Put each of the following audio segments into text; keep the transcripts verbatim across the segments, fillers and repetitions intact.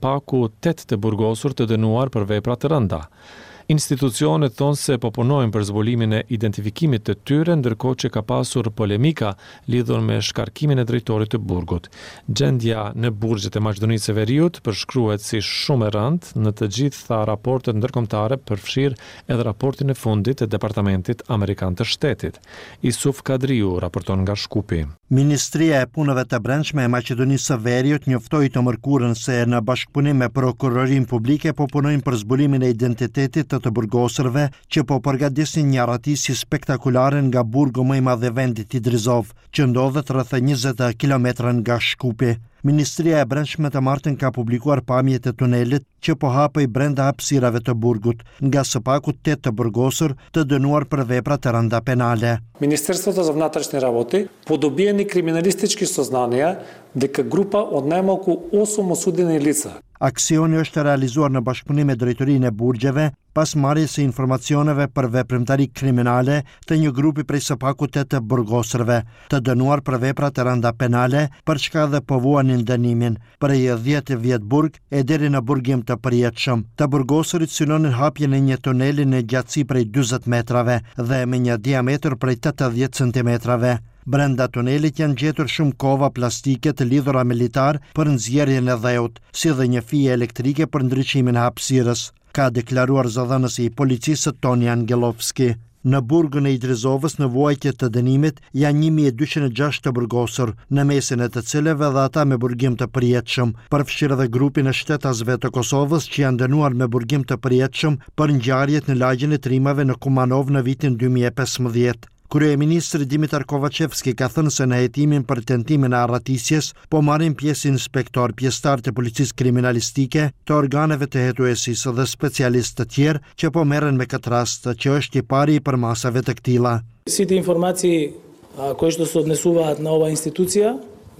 Paku tetë të burgosur të dënuar për vepra të rënda. Institucionet thonë se po punojnë për zbulimin e identifikimit të tyre, ndërkohë që ka pasur polemika lidhur me shkarkimin e drejtorit të burgut. Gjendja në burgjet e Maqedonisë së Veriut përshkruhet si shumë e rëndë në të gjitha raportet ndërkombëtare, përfshirë edhe raportin e fundit të Departamentit Amerikan të Shtetit. Isuf Kadriu raporton nga Shkupi. Ministria e Punëve të Brendshme e Maqedonisë së Veriut njoftoi të mërkurën se në bashkëpunim me prokurorinë publike po punojnë për zbulimin e identitetit të të burgosurve që po përgatisin një arratisje spektakulare nga burgu më i madh i vendit, Idrizov, që ndodhet rreth njëzet kilometra nga Shkupi. Ministria e Brendshme të martën ka publikuar pamjet e tunelit që po hapej brenda hapësirave të burgut, nga së paku tetë të burgosur të dënuar për vepra të rënda penale. Министерството за внатрешни работи по добиени криминалистички сознанија дека група од најмалку осум осудени лица. Aksioni është realizuar në bashkëpunim me drejtorinë e burgjeve pas marrjes së informacioneve për veprimtari kriminale të një grupi prej së paku tetë të burgosurve, të dënuar për vepra të rënda penale, për çka dhe po vuanin dënimin prej dhjetë vjet burg e deri në burgim të përjetshëm. Të burgosurit synonin hapjen e një tuneli në gjatësi prej dyzet metrave dhe me një diametër prej tetëdhjetë centimetrave. Brenda tunelit janë gjetur shumë kova plastike të lidhura me litar për nxjerrjen e dheut, si dhe një fije elektrike për ndriçimin e hapësirës, ka deklaruar zëdhënësi i policisë Toni Angelovski. Në burgun e Idrizovës në vuajtje të dënimit janë një mijë e dyqind e gjashtë të burgosur, në mesin e të cilëve dhe ata me burgim të përjetshëm, përfshirë edhe grupin e shtetasve të Kosovës që janë dënuar me burgim të përjetshëm për ngjarjet në lagjen e Trimave në Kumanov në vitin dy mijë e pesëmbëdhjetë. Kryeministri Dimitar Kovačevski ka thënë se në hetimin për tentimin e arratisjes po marrin pjesë inspektor, pjesëtar të policisë kriminalistike, të organeve të hetuesisë dhe specialistë të tjerë që po merren me këtë rast, që është i pari i përmasave të këtilla. Сите информации кои што се однесуваат на оваа институција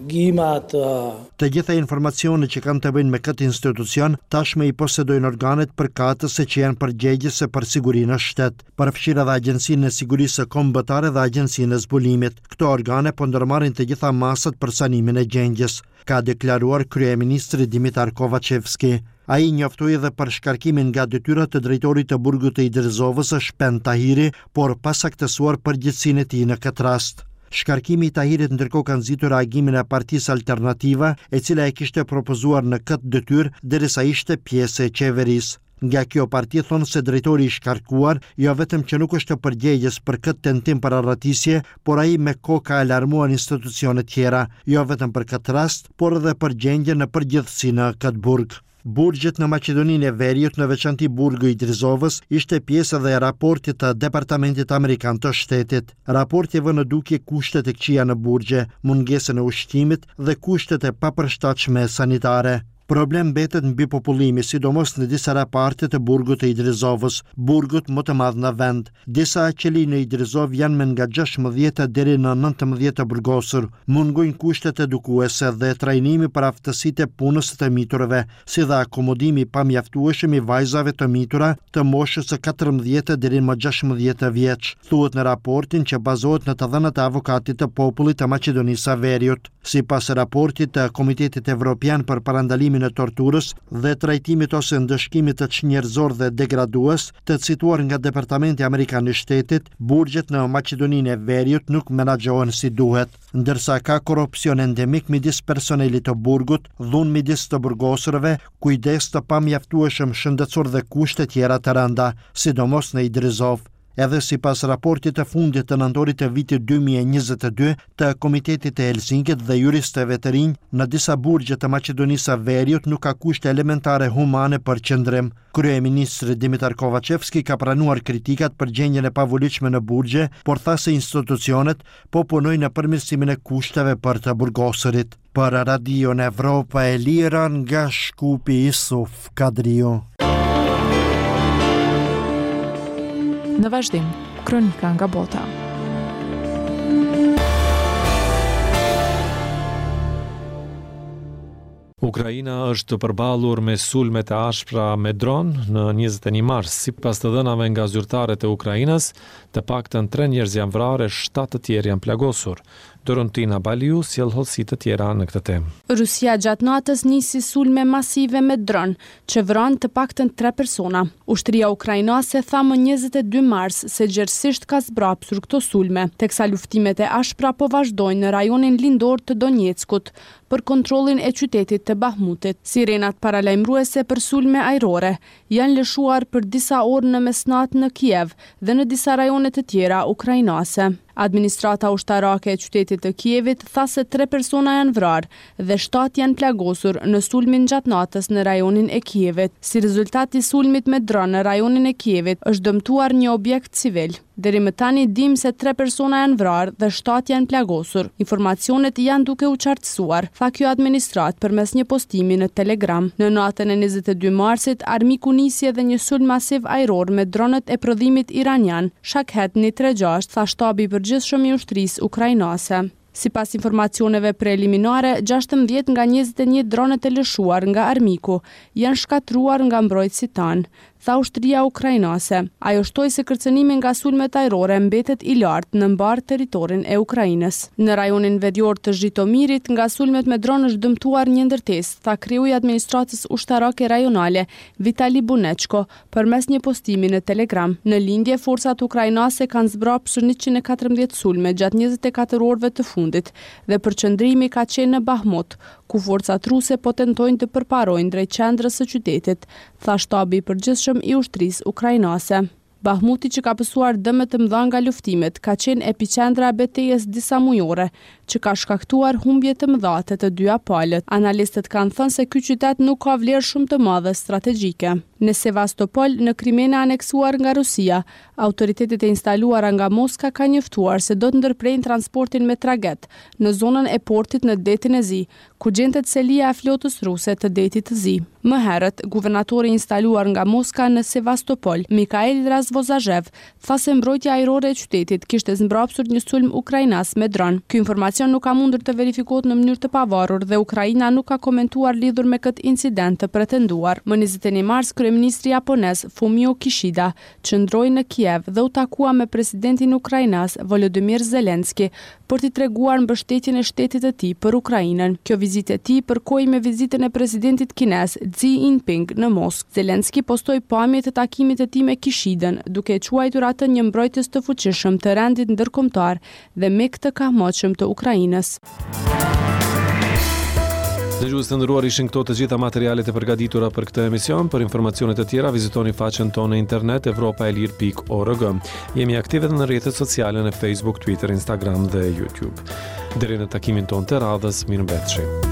ги имаат, а, Të gjitha informacionet që kanë të bëjnë me këtë institucion tashmë i posedojnë organet përkatëse që janë përgjegjëse për sigurinë në shtet, përfshirë edhe Agjencinë e Sigurisë Kombëtare dhe Agjencinë e Zbulimit. Këto organe po ndërmarrin të gjitha masat për sanimin e gjendjes, ka deklaruar kryeministri Dimitar Kovačevski. Ai njoftoi edhe për shkarkimin nga detyra të drejtorit të burgut të Idrizovës, Shpend Tahiri, por pa saktësuar përgjegjësinë e tij në këtë rast. Shkarkimi i Tahirit ndërkohë ka nxitur reagimin e Partisë Alternativa, e cila e kishte propozuar në këtë detyrë derisa ishte pjesë e qeverisë. Nga kjo parti thonë se drejtori i shkarkuar jo vetëm që nuk është përgjegjës për këtë tentim për arratisje, por ai me kohë ka alarmuar institucione tjera, jo vetëm për këtë rast, por edhe për gjendjen në përgjithësi në këtë burg. Burgjet në Maqedoninë e Veriut, në veçanti burgu i Idrizovës, ishte pjesë edhe e raportit të Departamentit Amerikan të Shtetit. Raporti vë në dukje kushtet e këqija në burgje, mungesën e ushqimit dhe kushtet e papërshtatshme sanitare. Problem mbetet mbi popullimi, sidomos në disa raparte të burgut të Idrizovës, burgut më të madh në vend. Disa qeli në Idrizov janë me nga gjashtëmbëdhjetë deri në nëntëmbëdhjetë të burgosur. Mungojnë kushtet edukuese dhe trajnimi për aftësitë e punës së të miturve, si dhe akomodimi i pamjaftueshëm i vajzave të mitura të moshës së katërmbëdhjetë deri në gjashtëmbëdhjetë vjeç, thuhet në raportin që bazohet në të dhënat e avokatit të popullit të Maqedonisë së Veriut. Sipas raportit të Komitetit Evropian për parandalimin e torturës dhe trajtimit ose ndëshkimit të çnjerëzor dhe degradues, të cituar nga Departamenti Amerikan i Shtetit, burgjet në Maqedoninë e Veriut nuk menaxhohen si duhet, ndërsa ka korrupsion endemik midis personelit të burgut, dhunë midis të burgosurve, kujdes të pamjaftueshëm shëndetësor dhe kushte tjera të rënda, sidomos në Idrizov. Edhe sipas raportit të fundit të nëntorit të vitit dy mijë e njëzet e dy të Komitetit të Helsinkit dhe juristëve të rinj, në disa burgje të Maqedonisë së Veriut nuk ka kushte elementare humane për qëndrim. Kryeministri Dimitar Kovačevski ka pranuar kritikat për gjendjen e pavolitshme në burgje, por tha se institucionet po punojnë në përmirësimin e kushteve për të burgosurit. Për Radion Evropa e Lira nga Shkupi, Isuf Kadriu. Në vazhdim, kronika nga bota. Ukraina është përballur me sulme të ashpra me dron në njëzet e një mars. Sipas të dhënave nga zyrtarët e Ukrainës, të paktën tre njerëz janë vrarë e shtatë të tjerë janë plagosur. Dorontina Baliu sjell hollësi të tjera në këtë temë. Rusia gjatë natës nisi sulme masive me dron, që vranë të paktën tre persona. Ushtria ukrainase tha më njëzet e dy mars se gjerësisht ka zbrapsur këto sulme, teksa luftimet e ashpra po vazhdojnë në rajonin lindor të Donjeckut për kontrollin e qytetit të Bahmutit. Sirenat paralajmëruese për sulme ajrore janë lëshuar për disa orë në mesnatë në Kiev dhe në disa rajone të tjera ukrainase. Administrata ushtarake e qytetit të Kievit tha se tre persona janë vrarë dhe shtatë janë plagosur në sulmin gjatë natës në rajonin e Kievit. Si rezultat i sulmit me dron në rajonin e Kievit është dëmtuar një objekt civil. Deri më tani dim se tre persona janë vrarë dhe shtatë janë plagosur. Informacionet janë duke u qartësuar, tha kjo administratë përmes një postimi në Telegram. Në natën e njëzet e dy marsit, armiku nisi edhe një sulm masiv ajror me dronët e prodhimit iranian, Shakhet një tre gjashtë, tha shtabi i përgjithshëm i ushtrisë ukrainase. Sipas informacioneve preliminare, gjashtëmbëdhjetë nga njëzet e një dronët e lëshuar nga armiku janë shkatruar nga mbrojtësit tanë, tha ushtria ukrainase. Ajo shtoi se kërcënimi nga sulmet ajrore mbetet i lartë në mbar territorin e Ukrainës. Në rajonin verior të Zhitomirit, nga sulmet me dron është dëmtuar një ndërtesë, tha kreu i administratës ushtarake rajonale Vitali Bunechko përmes një postimi në Telegram. Në lindje, forcat ukrainase kanë zbrapsur njëqind e katërmbëdhjetë sulme gjatë njëzet e katër orëve të fundit dhe përqendrimi ka qenë në Bahmut, ku forcat ruse po tentojnë të përparojnë drejt qendrës së qytetit, tha shtabi i përgjithshëm i ushtrisë ukrainase. Bahmuti, që ka pësuar dëme të mëdha nga luftimet, ka qenë epiqendra e betejës disa mujore, që ka shkaktuar humbje të mëdha të të dyja palët. Analistët kanë thënë se ky qytet nuk ka vlerë shumë të madhe strategjike. Në Sevastopol, në Krimenë e aneksuar nga Rusia, autoritetet e instaluara nga Moska kanë njoftuar se do të ndërprejnë transportin me traget në zonën e portit në Detin e Zi, ku gjendet selia e flotës ruse të Detit të Zi. Më herët, guvernatori i instaluar nga Moska në Sevastopol, Mikhail Razvozazhev, tha se mbrojtja ajrore e qytetit kishte zmbrapsur një sulm ukrainas me dron. Ky informacion nuk ka mundur të verifikohet në mënyrë të pavarur dhe Ukraina nuk ka komentuar lidhur me këtë incident të pretenduar. Më njëzet e një mars, kryeministri japonez Fumio Kishida qëndroi në Kiev dhe u takua me presidentin ukrainas Volodymyr Zelensky për t'i treguar mbështetjen e shtetit të tij për Ukrainën. Kjo vizitë e tij përkoi me vizitën e presidentit kinez Xi Jinping në Moskë. Zelensky postoi pamje të takimit të tij me Kishidën, duke e quajtur atë një mbrojtës të fuqishëm të rendit ndërkombëtar dhe mik të kahmotshëm të Ukrainës. Dëgjues të nderuar, ishin këto të gjitha materialet e përgatitura për këtë emision. Për informacione të tjera vizitoni faqen tonë në internet evropa e lirë pikë org. Jemi aktive edhe në rrjetet sociale në Facebook, Twitter, Instagram dhe YouTube. Deri në takimin tonë të radhës, mirëmbetshi.